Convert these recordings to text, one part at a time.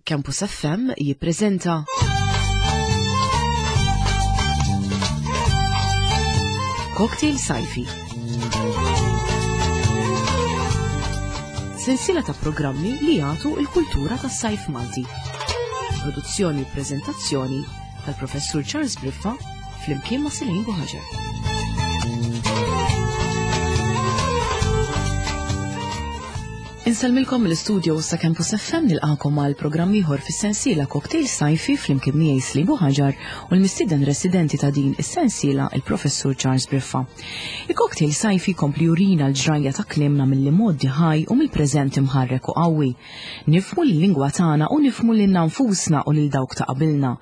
Campus FM jippreżenta Cocktail Sajfi. Sensiela ta' programmi li jagħtu l-kultura tas-sajf Malti. Produzzjoni u preżentazzjoni tal-Professur Charles Briffa flimkien ma' Selin Buħaġar. Insellmilkom mill-istudio sa Campus FM nilqakom għal programm ieħor fis-sensiela Cocktail Sajfi flimkien miegħi Slibu Ħaġar u l-mistieden residenti ta' din is-sensiela il-Professur Charles Briffa. Il-Cocktail Sajfi kompli jurina l-ġrajja ta' kliemna mill-imgħoddi ħaj u mill-preżent imħarrek u qawwi. Nifhmu l-lingwa tagħna u nifhmu lilna nfusna u lil dawk ta' qabilna.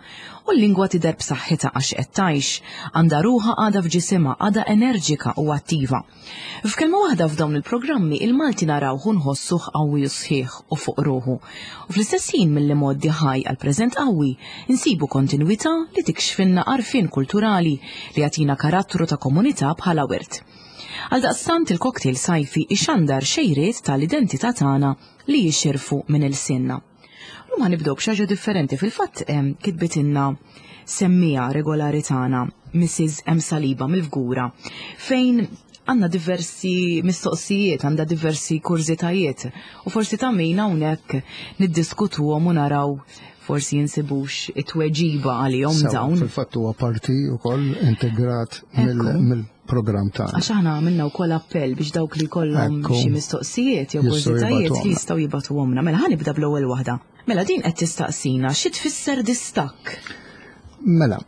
U l-lingwa tidher b'saħħitha għax qed tgħix, għandha ruħha għadha f'ġisimha, għadha enerġika u attiva. F'kelma waħda f'dawn il-programmi il-Malti narawh u nħossuh qawwi u sħiħ u fuq ruħu. U fl-istess ħin mill-imgħoddi ħaj għall-preżent qawwi nsibu kontinwità li tikxfilna għarfien kulturali li jagħtina karattru ta' komunità bħala wirt. Għaldaqstant il-cocktail sajfi ixandar xejriet tal-identità tagħna li jixirfu minn ilsienna. Lum ħanibdew b'xi ħaġa differenti fil-fatt kitbitilna semmija regolari tagħna Mrs. M. Saliba mill-Fgura fejn għandna diversi mistoqsijiet, għandha diversi kurżitajiet u forsi ta' min hawnhekk niddiskutuhom u naraw forsi jinsibux it-tweġiba għalihom dawn. Fil-fatt huwa parti wkoll integrat mill programm tagħna. Għax aħna għamilna wkoll appell biex dawk li jkollhom xi mistoqsijiet jew kurżitajiet jistgħu jibgħatuhomna. Mela ħa nibda bl-ewwel waħda. Mela din qed tistaqsina xi tfisser distakk? Mela,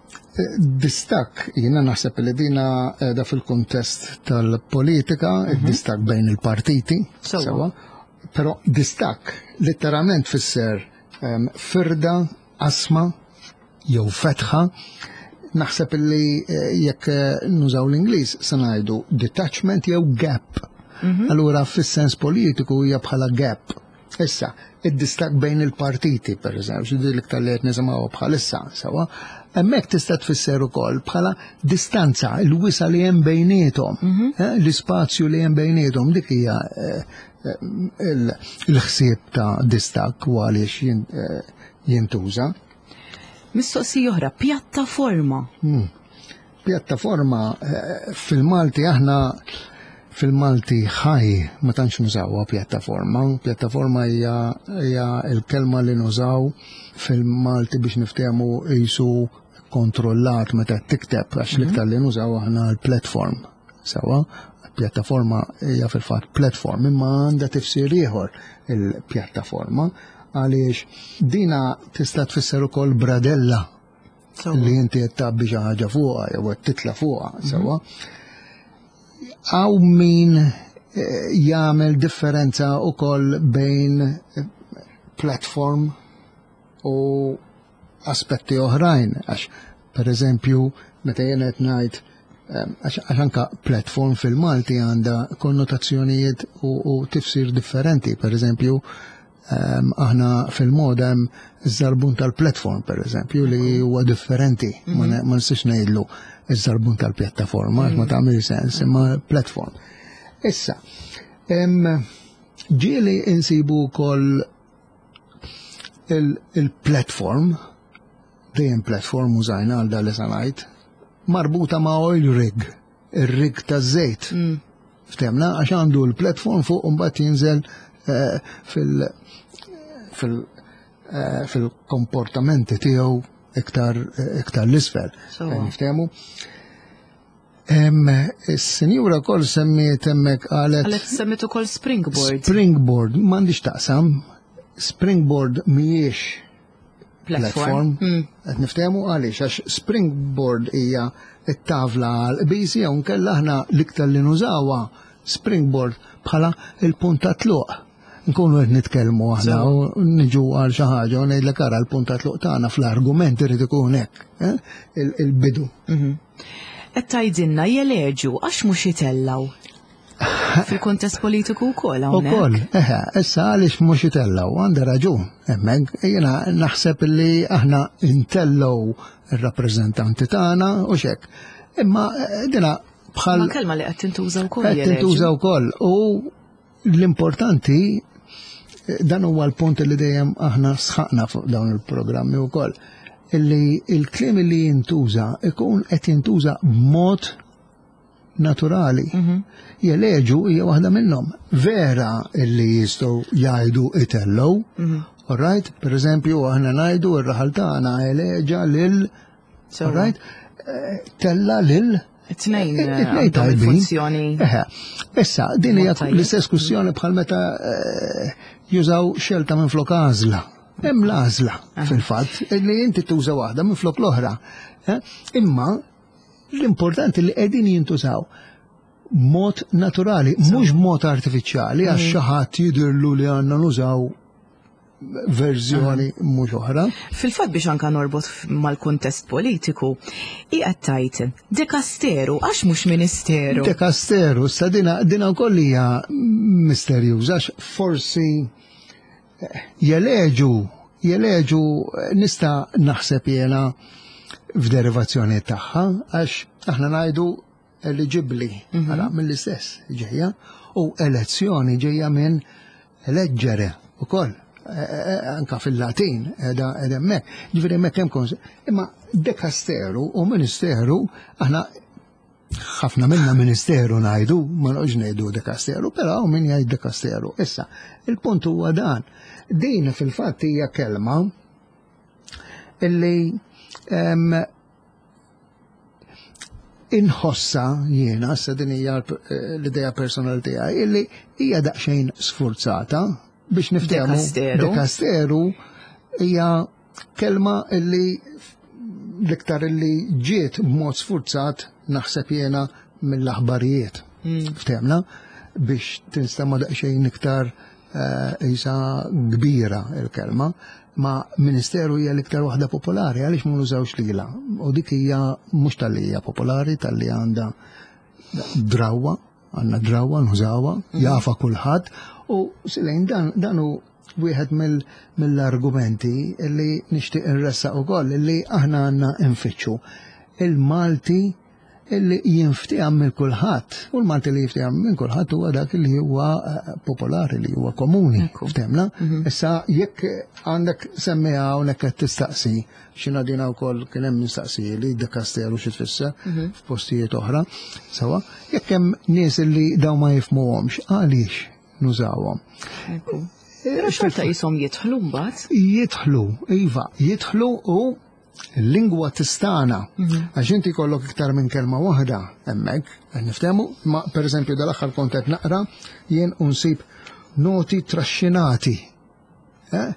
distakk jiena naħseb li dina qiegħda fil-kuntest tal-politika, mhm. distakk bejn il-partiti, sewa. Però distakk letteralment fisser ehm, firda, qasma, jew fetħa, naħseb li eh, jekk eh, nużaw l-Ingliż se ngħidu detachment jew gap. Mhm. Allura fis-sens politiku hija bħala gap. Issa, id-distak bejn il-partiti, per eżempju, xi l-iktar li qed nisimgħu bħalissa, sewa, hemmhekk tista' tfisser ukoll bħala distanza, il-wisa li hemm bejniethom, mhm. eh, l-ispazju li hemm bejniethom, dik hija il-ħsieb ta' distak u għaliex jintuża. Mistoqsija oħra, pjattaforma. Hmm. Pjattaforma eh, fil-Malti aħna fil-Malti ħaj ma tantx nużawha pjattaforma. Pjattaforma hija l-kelma li nużaw fil-Malti biex niftehmu jisu kontrollat meta tikteb għax mhm. l-iktar li nużaw aħna l-platform. Sewa, pjattaforma hija fil-fatt platform imma għandha tifsir ieħor il-pjattaforma għaliex dina tista' tfisser ukoll bradella li inti qed tgħabbi xi ħaġa fuqha jew qed titla' fuqha mhm. sewwa. Hawn min eh, jagħmel differenza ukoll bejn eh, platform u aspetti oħrajn għax per eżempju meta jien qed ngħid eh, għax anka platform fil-Malti għandha konnotazzjonijiet u, u tifsir differenti. Per eżempju, Ehm, aħna fil-moda hemm iż-żarbun tal-platform per eżempju li huwa differenti, ma mhm. nistax ngħidlu iż-żarbun tal-pjattaforma, ma mhm. tagħmel sens, imma platform. Issa, ġieli insibu wkoll il-platform, dejjem platform użajna għal dal ngħid, marbuta ma' oil rig ir-rig taż-żejt. Mm. Ftemna għax għandu l-platform fuq u mbagħad jinżel eh, fil- fil- eh, fil-komportamenti tiegħu iktar iktar l-isfel. Niftehmu. Is-sinjura kol semmiet hemmhekk qalet. Qalet semmiet ukoll springboard. Springboard, m'għandix taqsam. Springboard mhijiex platform. Hmm. Qed niftehmu għaliex għax springboard hija t-tavla għal qbiżi jew nkella aħna l-iktar li nużawha springboard bħala il-punt ta' tluq. Nkunu qed nitkellmu aħna u niġu għal xi ħaġa u ngħidlek ara l-punt ta' tluq tagħna fl-argument irid ikun hekk, eh? il-bidu. Mhm. Qed tgħidilna jeleġu għax mhux itellgħu. Fil-kontest politiku wkoll hawnhekk. Ukoll, eħe, issa għaliex mhux itellgħu, għandha raġun. Hemmhekk jiena naħseb li aħna intellgħu ir-rappreżentanti tagħna u xek. Imma eh, dina bħal. Ma kelma li qed tintuża wkoll. Qed tintuża wkoll u l-importanti. Dan huwa l-punt li dejjem aħna sħaqna fuq dawn il-programmi wkoll illi il-kliem li jintuża ikun qed jintuża b'mod naturali. Mhm. Jeleġu hija waħda minnhom. Vera illi jistgħu jgħidu itellgħu. Mhm. All right? Per eżempju, aħna ngħidu r-raħal tagħna eleġa lil All right? Eh, tella lil It-tnejn eh, tajbin. Funzjoni. Issa, din hija l-istess kwistjoni bħal meta eh, jużaw xelta minn flok għażla. Hemm l-għażla fil-fatt li inti tuża waħda minn flok l-oħra. Imma l-importanti li qegħdin jintużaw mod naturali, mhux mod artifiċjali għax mm. xi ħadd jidhirlu li għandna nużaw verżjoni mhux oħra. Fil-fatt biex anka norbot mal-kuntest politiku, hi qed tgħid dekasteru għax mhux ministeru. Dekasteru, sa dina dina wkoll hija misterjuża għax forsi eh, jeleġu jeleġu eh, nista' naħseb jiena f'derivazzjoni tagħha għax aħna ngħidu eliġibbli, mhm. ara mill-istess ġejja, u elezzjoni ġejja minn eleġġere ukoll e, e, e, anka fil-Latin edha hemmhekk. Ġifieri hemmhekk hemm kons. Imma dekasteru u ministeru aħna ħafna minna ministeru ngħidu, ma noqgħodx ngħidu dekasteru, però hawn min jgħid dekasteru. Issa, il-punt huwa dan. Din fil-fatt hija kelma illi inħossa jiena, sa din hija eh, l-idea personali tiegħi, illi hija daqsxejn sfurzata biex niftehmu. Dekasteru. Dekasteru hija kelma illi l-iktar illi ġiet b'mod sfurzat naħseb jiena mill-aħbarijiet. Mm. Ftehmna biex tinstema' daqsxejn iktar Isa kbira il-kelma, ma ministeru hija l-iktar waħda popolari għaliex ma nużawx lilha. U dik hija mhux tal-li hija popolari, tal-li għandha drawwa, għandna drawwa nużawha, mhm. jafa kulħadd u silejn dan dan hu wieħed mill-argumenti li nixtieq inressaq ukoll li aħna għandna nfittxu il-Malti illi jinftiham minn kulħadd. U l-Malti li jinftiham minn kulħadd huwa dak li huwa eh, popolari, li huwa komuni. Ftemna? Mhm. Issa jekk għandek semmiha hawnhekk qed tistaqsi, xina dina wkoll kien hemm mistaqsi li dekasteru xi tfisser mhm. f'postijiet oħra, sewa, jekk hemm nies li dawn ma jifhmuhomx, għaliex nużawhom? Però xorta jisom jidħlu mbagħad. Jidħlu, iva, jidħlu u Il-lingwa tistana, mhm. għax inti kollok iktar minn kelma waħda hemmhekk, qed niftehmu, ma pereżempju dal-aħħar kont qed naqra jien unsib noti traxxinati. Eh?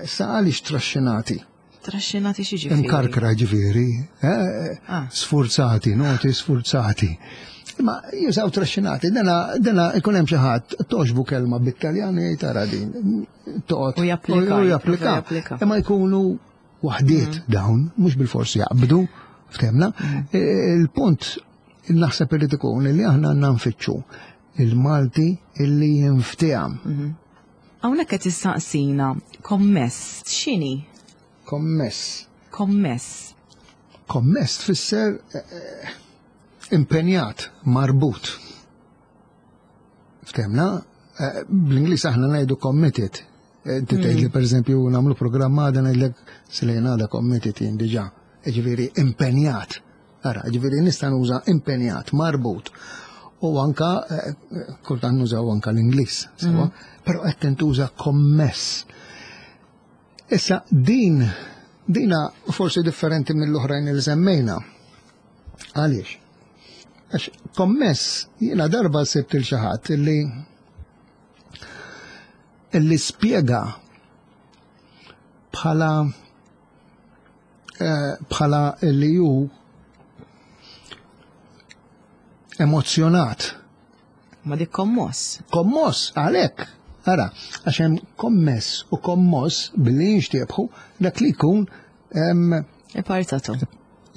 Sa għaliex traxxinati? Traxxinati xi ġifieri? Imkarkra ġifieri, eh? ah. sfurzati, noti sfurzati. Ma jużaw traxxinati, dana dana ikun hemm xi ħadd toġbu kelma bit-Taljan jgħid tara din. Toqgħod. U japplika. Imma jkunu waħdiet mm. dawn, mhux bil-forsi jaqbdu, ftemna. Mm. E, il-punt naħseb irid ikun li aħna għandna nfittxu il-Malti illi jinfteham. Mm-hmm. Hawnhekk qed tistaqsina kommess x'inhi? Kommess. Kommess. Kommess tfisser eh, eh, impenjat, marbut. Ftemna, eh, bl-Ingliż aħna ngħidu committed. Eh, inti tgħid li mm. pereżempju nagħmlu programm għada ngħidlek silejn għada committed jien diġà. Ġifieri impenjat. Ara, ġifieri nista' nuża impenjat, marbut. U anka eh, kultant nużaw anka l-Ingliż, sewa, mm. però qed tintuża kommess. Issa din dina forsi differenti mill-oħrajn li semmejna. Għaliex? Għax kommess jiena darba sibt il xi ħadd illi illi spjega bħala eh, bħala li ju emozjonat. Ma dik kommoss. Kommoss, għalek. Ara, għax hemm kommess u kommoss billi jinxtiebħu dak li jkun Ipartatom.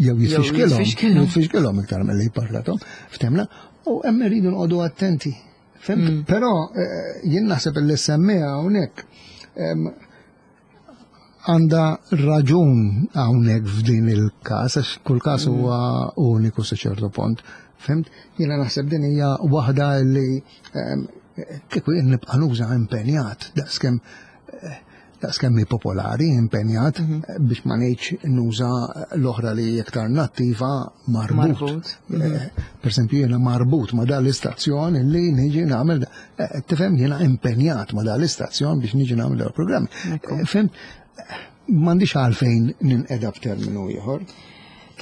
Jew jitfixkilhom. Jitfixkilhom iktar milli jpartatom. Ftemna, u hemm irridu nqogħdu attenti. Fimt? Mm. Però eh, jien naħseb li semmija hawnhekk għandha raġun hawnhekk f'din il-każ, għax kull każ mm. huwa uniku sa ċertu punt. Fimt? Jiena naħseb din hija waħda li Kieku jien nibqa' nuża impenjat daqskemm daqskemm hi popolari impenjat mhm. biex ma ngħidx nuża l-oħra li iktar nattiva marbut. marbut. Mhm. Eh, per esempio jiena marbut ma dan l-istazzjon li niġi nagħmel eh, tifhem jiena impenjat ma dan l-istazzjon biex niġi nagħmel dal-programm. Eh, fem m'għandix għalfejn ninqeda b'terminu ieħor.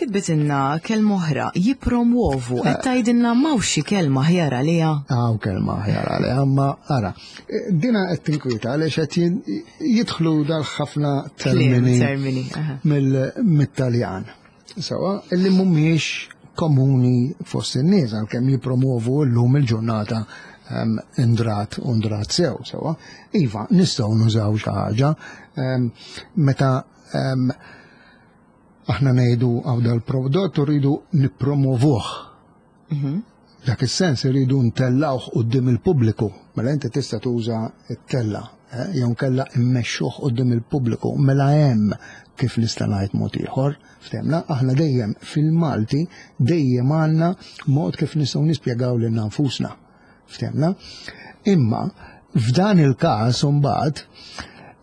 Kitbitilna kelma oħra, jippromwovu, qed tgħidilna m'hawnx xi kelma aħjar għaliha? Hawn kelma aħjar għaliha, imma ara, dina qed tinkwieta għaliex qed jidħlu dal-ħafna termini mit-Taljan. Sawa, illi mhumiex komuni fost in-nies għalkemm jippromovu llum il-ġurnata ehm, indrat u ndrat sew, sewa. Iva, nistgħu nużaw xi ħaġa ehm, meta ehm, Aħna ngħidu għaw dal-prodott u rridu nippromovuh. Mhm. Dak is-sens irridu ntellawh quddiem il-pubbliku. Mela inti tista' tuża t-tella, eh, jew kella immexxuh quddiem il-pubbliku. Mela hemm kif nista' ngħid mod ieħor, ftemna, aħna dejjem fil-Malti dejjem għandna mod kif nistgħu nispjegaw lil nfusna. Ftemna? Imma f'dan il-każ imbagħad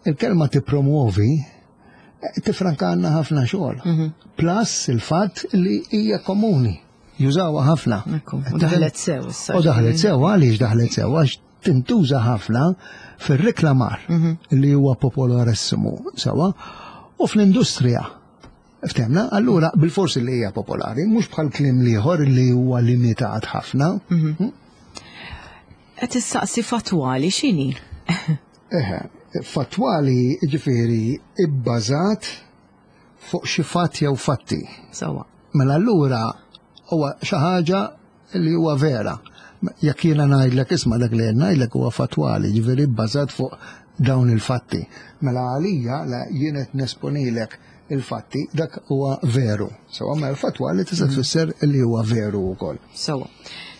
il-kelma tippromuovi tifrankanna ħafna xogħol. Mhm. Plus il-fatt li hija komuni, jużawha ħafna. U daħlet sew issa. U daħlet sew għaliex daħlet sew għax tintuża ħafna fir-reklamar mhm. li huwa popolarissimu sewa u fl-industrija. Ftemna, allura bil-forsi li hija popolari, mhux bħal kliem liħor li huwa limitat ħafna. Mhm. Hm? Qed issaqsi fatwali x'inhi? Eħe, fattwali ġifieri ibbażat fuq xi fatt jew fatti. Sawa. Mela allura huwa xi ħaġa li huwa vera. Jekk jiena ngħidlek isma' dak li ngħidlek huwa fattwali, ġifieri bbażat fuq dawn il-fatti. Mela għalija la jien qed nesponilek il-fatti dak huwa veru. Sewa mela l-fatwa li tista' mhm. tfisser li huwa veru wkoll. Sewa.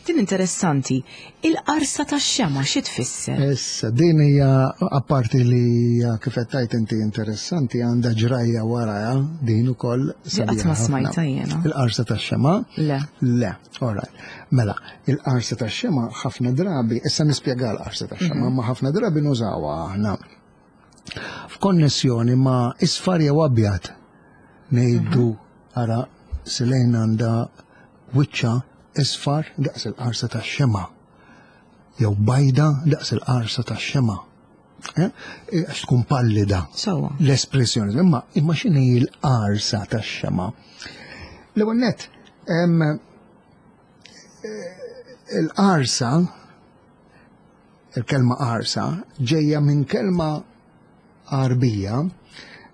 Din interessanti, il-qarsa tax-xema xi tfisser? Issa, din hija apparti li hija kif qed tgħid inti interessanti għandha ġrajja warajha din ukoll Qatt ma smajtha jiena. Il-qarsa tax-xema? Le. Le, all right. Mela, il-qarsa tax-xema ħafna drabi, issa nispjega l-qarsa tax-xema, mhm. ma ħafna drabi nużawha aħna f'konnessjoni ma' isfar jew abjad. Ngħidu mhm. ara Silejn għandha wiċċha isfar daqs il-qarsa tax-xemgħa jew bajda daqs il-qarsa tax-xemgħa. Eh? Eh, għax tkun pallida. L-espressjoni. Imma imma x'inhi l-qarsa tax-xemgħa? L-ewwel nett, eh, il-qarsa il-kelma qarsa ġejja minn kelma Għarbija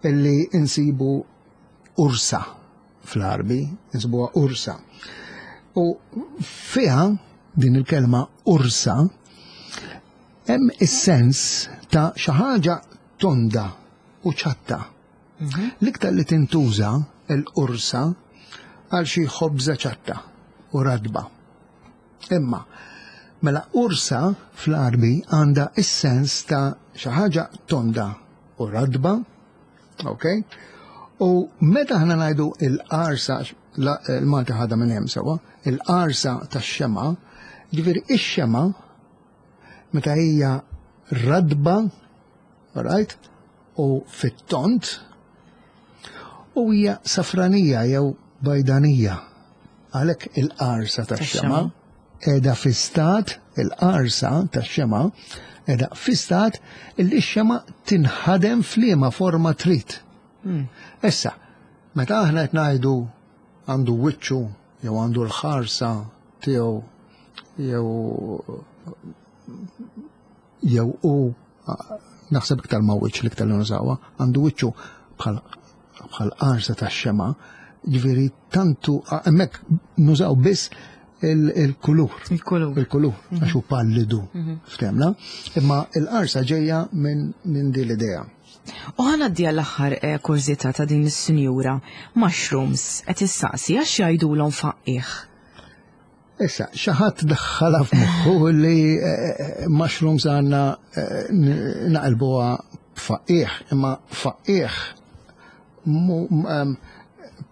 illi insibu ursa fl-Għarbi, insibuha ursa. U fiha din il-kelma ursa hemm is-sens ta' xi ħaġa tonda u ċatta. Mhm. L-iktar li tintuża l-ursa għal xi ħobża ċatta u radba. Imma, mela ursa fl-Għarbi għandha is-sens ta' xi ħaġa tonda u radba, ok? U meta aħna ngħidu il-qarsa, il-Malti ħadha minn hemm sewwa, il-qarsa tax-xema, ġifieri ix-xema meta hija radba, right? U fit-tont, u hija safranija jew bajdanija. Għalhekk il-qarsa tax-xema qiegħda fi stat, il-qarsa tax-xema qiegħda fi stat illi x-xema tinħadem f'liema forma trid. Hmm. Issa, meta aħna qed ngħidu għandu wiċċu jew għandu l-ħarsa tiegħu jew jew u naħseb iktar ma' wiċċ l-iktar li nużawha, għandu wiċċu bħal bħal qarsa tax-xema, ġifieri tantu hemmhekk nużaw biss il-kulur. Il-kulur. Il-kulur, mhm. għax hu pallidu, mhm. ftemna. Imma il-qarsa ġejja minn din l-idea. U ħana d l-aħħar eh, kurżità ta' din is-sinjura, mushrooms, qed issaqsi għax jgħidulhom faqqiħ. Issa, xi ħadd daħħalha f'moħħu li eh, eh, mushrooms għandna eh, naqilbuha faqqiħ, imma faqqiħ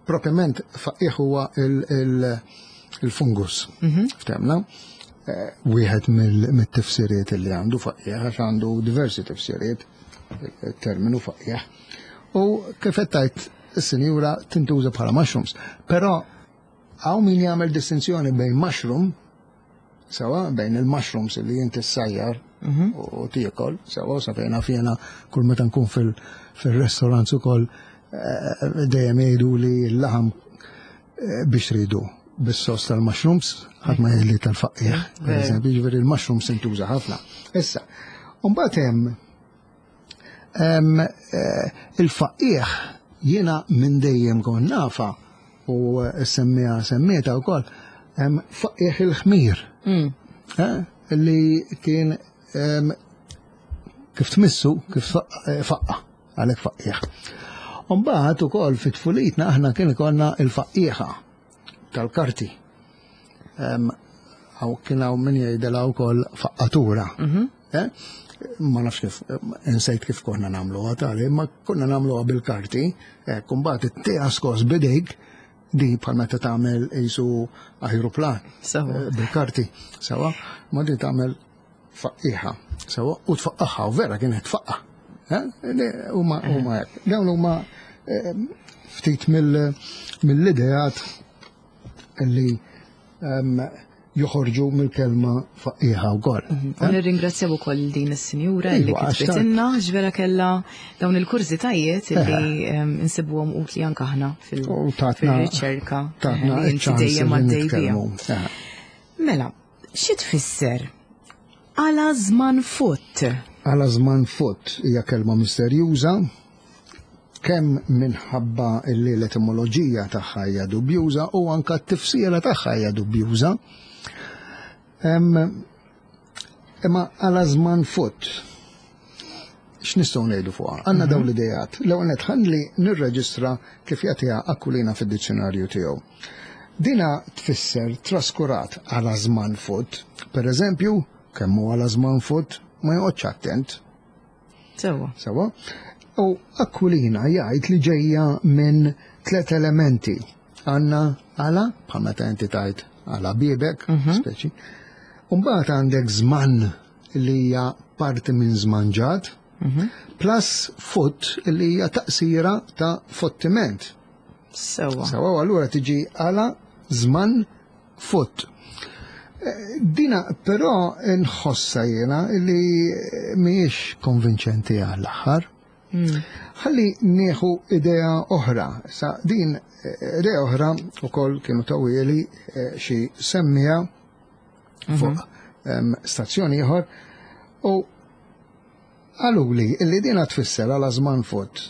propjament faqqiħ huwa il-fungus. Mhm. Ftemna? eh, wieħed mill-tifsiriet li għandu faqqiegħ għax għandu diversi tifsiriet terminu faqqiegħ. U kif qed tgħid is-sinjura tintuża bħala mushrooms. Però hawn min jagħmel distinzjoni bejn mushroom sewa bejn il-mushrooms li inti ssajjar mhm. u tiekol, sewa sa fejn fjena kull meta nkun fil-restaurants ukoll eh, dejjem jgħidu li l-laħam eh, biex tridu bis-sos tal-mushrooms, ħadd ma jgħidli tal-faqqiegħ, per eżempju, jiġifieri l-mushrooms intuża ħafna. Issa, mbagħad hemm eh, il-faqqiegħ jiena minn dejjem kont nafa u semmija semmieta wkoll faqqiegħ il-ħmir. Mm. Eh, li kien kif tmissu, kif eh, faqqa, għalhekk faqqiegħ. Umbagħad ukoll fit-tfulitna aħna kien ikollna il-faqqiegħa tal-karti. Għaw kien hawn min jgħidilha wkoll faqqatura. Mhm. Eh? Ma nafx kif, insejt kif konna nagħmluha tali, ma konna nagħmluha bil-karti, eh, kumbat it-tija skos bidejk, di bħal meta tagħmel qisu ajruplan eh, bil-karti, sewa, ma di tagħmel faqqiħa, sewa, u tfaqqaħħa, u vera kienet tfaqqa. Huma huma hekk. Dawn huma ftit mill-ideat li joħorġu mill-kelma faqqiħa wkoll. Mhm. U nirringrazzjaw ukoll din is-sinjura li iva, kitbitilna ġvera kellha dawn il-kurżitajiet li insibuhom utli anke aħna fil-riċerka. Inti dejjem għaddej biha. Mela, Xi tfisser għala żman futt? Għala żman futt hija kelma misterjuża, kemm minħabba li l-etimoloġija tagħha hija dubjuża u anka t-tifsira tagħha hija dubjuża. Imma għala żman futt x'nistgħu ngħidu fuqha? Għandna dawn mhm. l-idejat. L-ewwel nett ħalli nirreġistra kif jagħtiha Aquilina fid-dizzjonarju tiegħu. Dina tfisser traskurat għala żman fut. Per eżempju, kemm hu għala żman fut, ma joqgħodx attent. Sewa. Sewa. U Aquilina jgħid li ġejja minn tlet elementi. Għandna għala, bħal meta inti tgħid għala bibek, mhm. speċi. Umbagħad għandek żman li hija parti minn żmanġat, mhm. plus fut li hija taqsira ta' fottiment. Sewa. Sewa, allura tiġi għala żman fut. Eh, dina però nħossa jiena li mhijiex konvinċenti għall-aħħar. Hmm. Ħalli nieħu idea oħra. Sa din eh, idea oħra ukoll kienu tawili eh, xi semmija fuq mhm. stazzjon ieħor u qaluli illi dina tfisser għal żman fut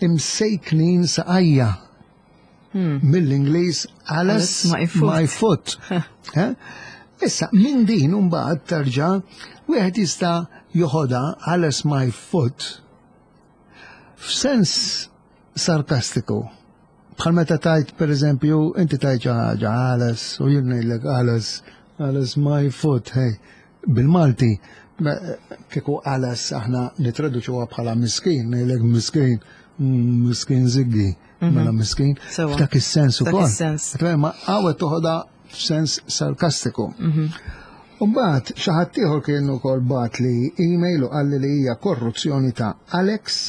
imsejknin saqajja hmm. mill-Ingliż Alice my foot. Eh? Issa, minn din mbagħad terġa' wieħed jista' joħodha Alice my foot f'sens sarkastiku. Bħal meta tajt, per eżempju, inti tajt xi ħaġa għales u jien ngħidlek għales, għales my foot, hey. Bil-Malti, kieku għales aħna nitraduċuha bħala miskin, ngħidlek miskin, mm, miskin ziggi, mhm. mela miskin, f'dak is-sens ukoll. Ma għawet toħodha f'sens sarkastiku. Mhm. U mbagħad xi ħadd ieħor kien ukoll bat li email u qalli li hija korruzzjoni ta' Alex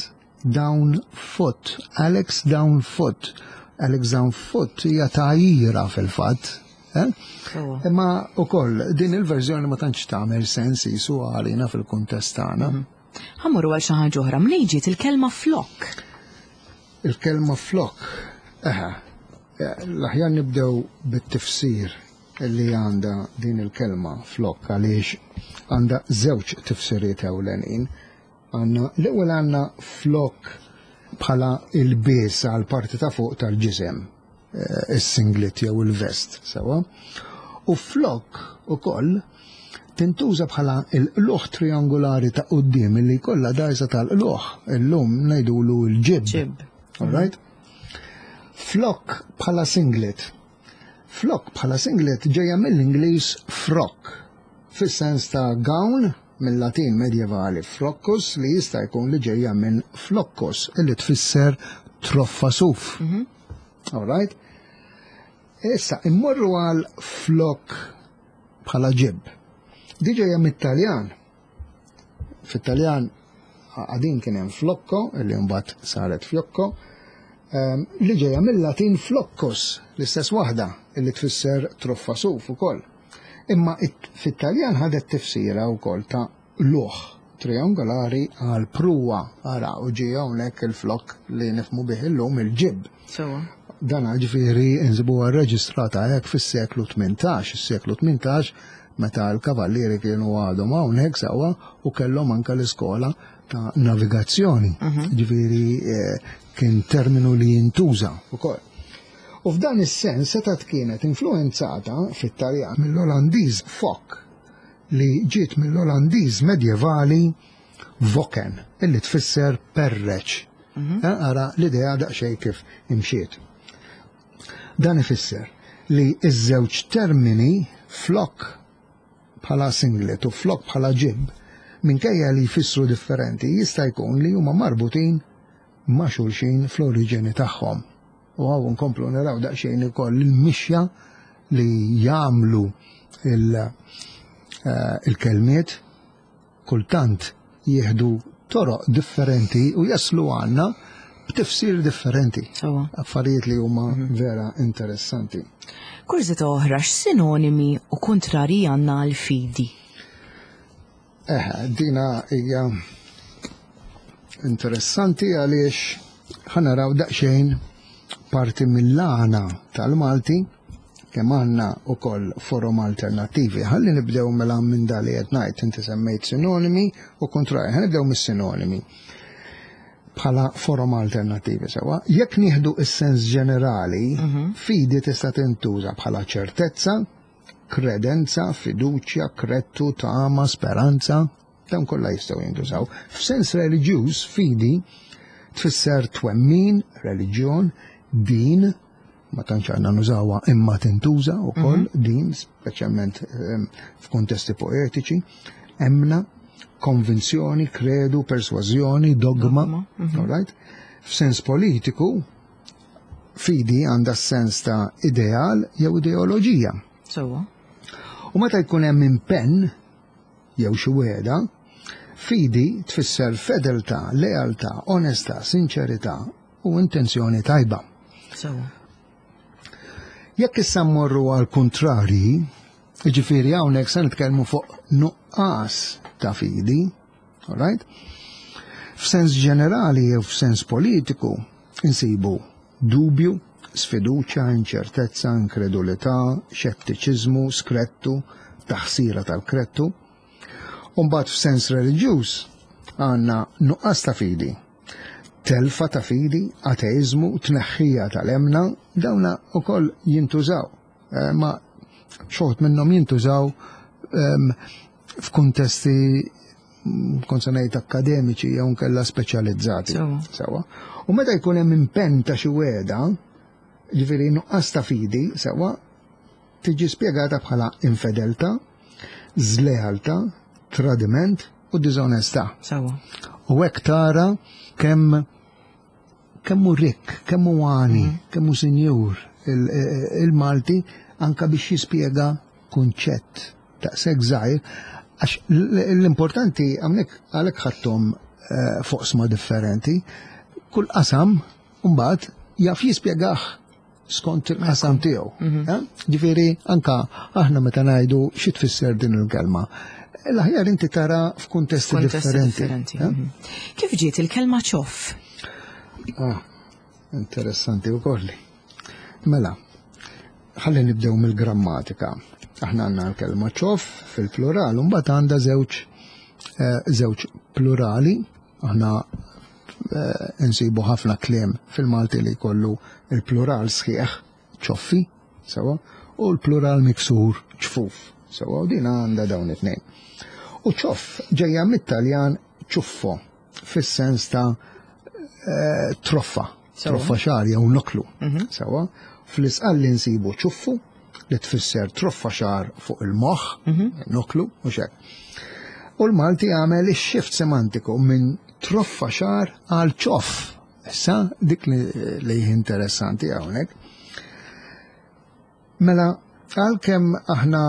Down Foot, Alex Down Foot. Alex Down Foot hija tgħajjira fil-fatt. Eh? Imma ukoll din il-verżjoni ma tantx tagħmel sens jisu għalina fil-kuntest tagħna. Mhm. Ħammuru għal xi ħaġa oħra, mnejn ġiet il-kelma flok? Il-kelma flok, eħe, eh, l-aħjar nibdew bit-tifsir li għandha din il-kelma flok għaliex għandha żewġ tifsiriet ewlenin. Għandna l-ewwel għandna flok bħala il-bies għal parti ta' fuq tal-ġisem, eh, is-singlet jew il-vest, sewa. U flok ukoll tintuża bħala il-qluħ triangolari ta' quddiem li jkollha dajsa tal-qluħ, illum ngħidulu l-ġib. Ġib. All right? Flok bħala singlet. Flok bħala singlet ġejja mill-Ingliż frock, fis-sens ta' gown mill-Latin medjevali froccus li jista' jkun li ġejja minn floccus li tfisser troffa suf. Mhm. All right? Issa, immorru għal flok bħala ġibb. Di ġejja mit-Taljan. Fit-Taljan għadin kien hemm flocco, li mbagħad saret fiocco, li ġejja mill-Latin floccus, l-istess waħda li tfisser troffa suf ukoll. Imma fit-Taljan ħadet tifsira wkoll ta' luħ triangolari għal pruwa, ara u ġie hawnhekk il-flokk li nifhmu bih illum il-ġibb. Sewwa. Dan ġifieri nsibuha rreġistrata hekk fis-seklu 18, is-seklu 18 meta l-kavallieri kienu għadhom hawnhekk sewwa u kellhom anke l-iskola ta' navigazzjoni. Ġifieri kien terminu li jintuża wkoll. U f'dan is-sens setgħet kienet influenzata fit-Taljan mill-Olandiż fok li ġiet mill-Olandiż medjevali voken, illi tfisser perreċ. Ara l-idea daqsxejn kif imxiet. Dan ifisser li ż-żewġ termini flok bħala singlet u flok bħala ġibb, minkejja li jfissru differenti, jista' jkun li huma marbutin ma' xulxin fl-oriġini tagħhom. U hawn nkomplu naraw daqsxejn ukoll il-mixja li jagħmlu il-kelmiet kultant jieħdu toroq differenti u jaslu għandna b'tifsir differenti. Sewwa. Affarijiet li huma vera interessanti. Kurżità oħra, x'sinonimi u kuntrarji għandna għal fidi? Dina hija interessanti għaliex ħa naraw daqsxejn parti mill-għana tal-Malti kemm għandna wkoll forom alternattivi. Ħalli nibdew mela minn dak li qed ngħid, inti semmejt sinonimi u kontrarji. Ħa nibdew mis-sinonimi bħala forom alternattivi sewwa. Jekk nieħdu is-sens ġenerali, fidi tista' tintuża bħala ċertezza, kredenza, fiduċja, krettu, tama, speranza, dawn kollha jistgħu jintużaw. F'sens reliġjuż, fidi tfisser twemmin, reliġjon, din, ma tantx għandna nużawha imma tintuża wkoll din, speċjalment f'kuntesti poetiċi, emna, konvinzjoni, kredu, persważjoni, dogma, all right? F'sens politiku, fidi għandha sens ta' ideal jew ideoloġija. Sewwa. U meta jkun hemm impenn jew xi wegħda, fidi tfisser fedeltà, lealtà, onestà, sinċerità u intenzjoni tajba. Sewwa. Jekk issa mmorru għal kontrarji, jiġifieri hawnhekk se nitkellmu fuq nuqqas ta' fidi, all right? F'sens ġenerali jew f'sens politiku insibu dubju, sfiduċja, inċertezza, inkredulità, xettiċiżmu, skrettu, taħsira tal-krettu. U mbagħad f'sens reliġjuż għandna nuqqas ta' fidi, telfa ta' fidi, ateizmu, tneħħija tal-emna, dawna wkoll jintużaw. Ma xi wħud minnhom jintużaw f'kuntesti kont se ngħid akademiċi jew nkella speċjalizzati. Sewwa. Sewwa. U meta jkun hemm impenn ta' xi wegħda, ġifieri nuqqas ta' fidi, sewwa, tiġi spjegata bħala infedeltà, żlealtà, tradiment u diżonestà. Sewwa. U hekk tara kemm hu rikk, kemm hu għani, kemm hu sinjur il-Malti anka biex jispjega kunċett daqshekk żgħir, għax l-importanti hawnhekk għalhekk ħadthom foqsma differenti, kull qasam mbagħad jaf jispjegah skont il-qasam tiegħu. Ġifieri anka aħna meta ngħidu xi tfisser din il-kelma, l-aħjar inti tara f'kuntesti Kuntesti differenti. differenti. Kif ġiet il-kelma ċoff? Interessanti wkoll. Mela, ħalli nibdew mill-grammatika. Aħna għandna l-kelma ċoff fil-plural, u mbagħad għandha żewġ plurali. Aħna insibu ħafna kliem fil-Malti li jkollu il-plural sħiħ, ċoffi, sewa, u l-plural miksur, ċfuf, sewa, u din għandha dawn it-tnejn. U ċoff ġejja mit-Taljan ċuffo, fis-sens ta' troffa, troffa xagħar jew noklu, sewa. Fl-Isqalli nsibu ċuffu li tfisser troffa xagħar fuq il-moħħ, noklu, u xek. U l-Malti għamel ix-shift semantiku minn troffa xagħar għal ċoff. Issa dik li interessanti hawnhekk. Mela, Għalkemm aħna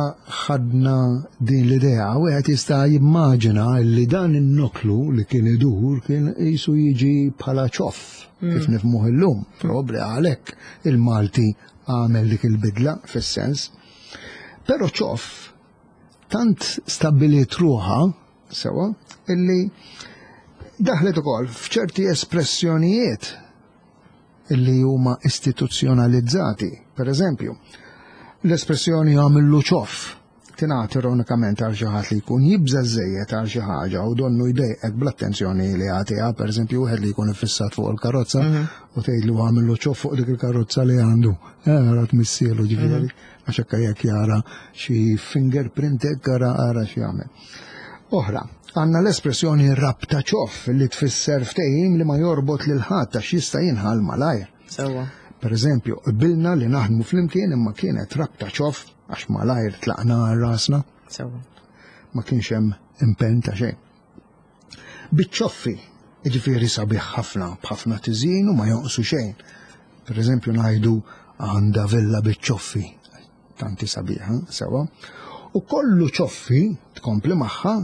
ħadna din l-idea, wieħed jista' jimmaġina li dan in-noklu li kien idur kien qisu jiġi bħala ċoff kif nifhmuh illum. Probabbli għalhekk il-Malti għamel dik il-bidla fis-sens. Però ċoff tant stabbiliet ruħha sewa illi daħlet ukoll f'ċerti espressjonijiet illi huma istituzzjonalizzati. Per eżempju, l-espressjoni għamillu ċoff tingħati ironikament għal xi ħadd li jkun jibża' żejjed għal xi ħaġa u donnu jdejqek bl-attenzjoni li jagħtiha, pereżempju wieħed li jkun iffissat fuq il-karozza u tgħidlu għamillu ċoff fuq dik il-karozza li għandu. Ara tmissielu ġifieri, għax hekk jekk jara xi fingerprint hekk ara ara xi jagħmel. Oħra, għandna l-espressjoni rabta ċoff li tfisser ftehim li ma jorbot lil ħadd għax jista' jinħall malajr. Sewwa. Per eżempju, qbilna li naħdmu flimkien imma kienet rabta ċoff għax malajr tlaqna għal rasna. Sewwa. Ma kienx hemm impenn ta' xejn. Biċ-ċoffi, jiġifieri sabiħ ħafna, b'ħafna tiżjin u ma jonqsu xejn. Per eżempju ngħidu għandha villa biċ-ċoffi, tanti sabiħa, sewa. U kollu ċoffi, tkompli magħha,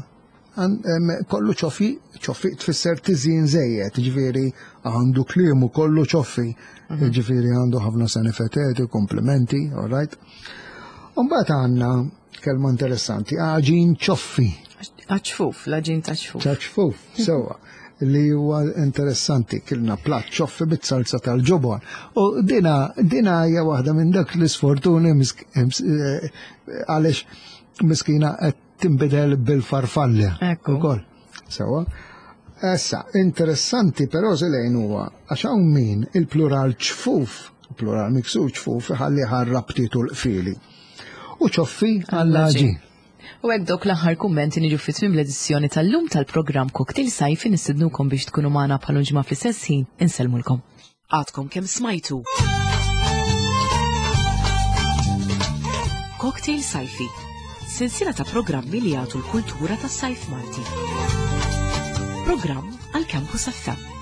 kollu ċoffi, ċoffi tfisser tiżjin żejjed, jiġifieri għandu kliemu kollu ċoffi, jiġifieri għandu ħafna sanifeteti, komplimenti, all right. U mbagħad għandna kelma interessanti, għaġin ċoffi. Għaċfuf, l-għaġin ta' ċfuf. Ċafuf, sewa. Li huwa interessanti, kilna platt ċoffi bit-salza tal-ġobon. U dina hija waħda minn dak l-isfortuni għaliex miskina qed tinbidel bil-farfalli. Ekku. Ukoll. Sewa. Issa, interessanti però Zelejn huwa għax hawn min il-plural ċfuf, plural miksur ċfuf, iħalli ħarrabtiet u l-qfieli. U ċoffi għall-għaġin. U hekk dawk l-aħħar kummenti niġu fi tmiem l-edizzjoni tal-lum tal-programm Cocktail Sajfi nistednukom biex tkunu magħna bħal ġimgħa fl-istess ħin. Insellmulkom. Għadkom kemm smajtu. Cocktail Sajfi, sensiela ta' programmi li jagħtu l-kultura tas-sajf Malti. Programm għal Campus FM.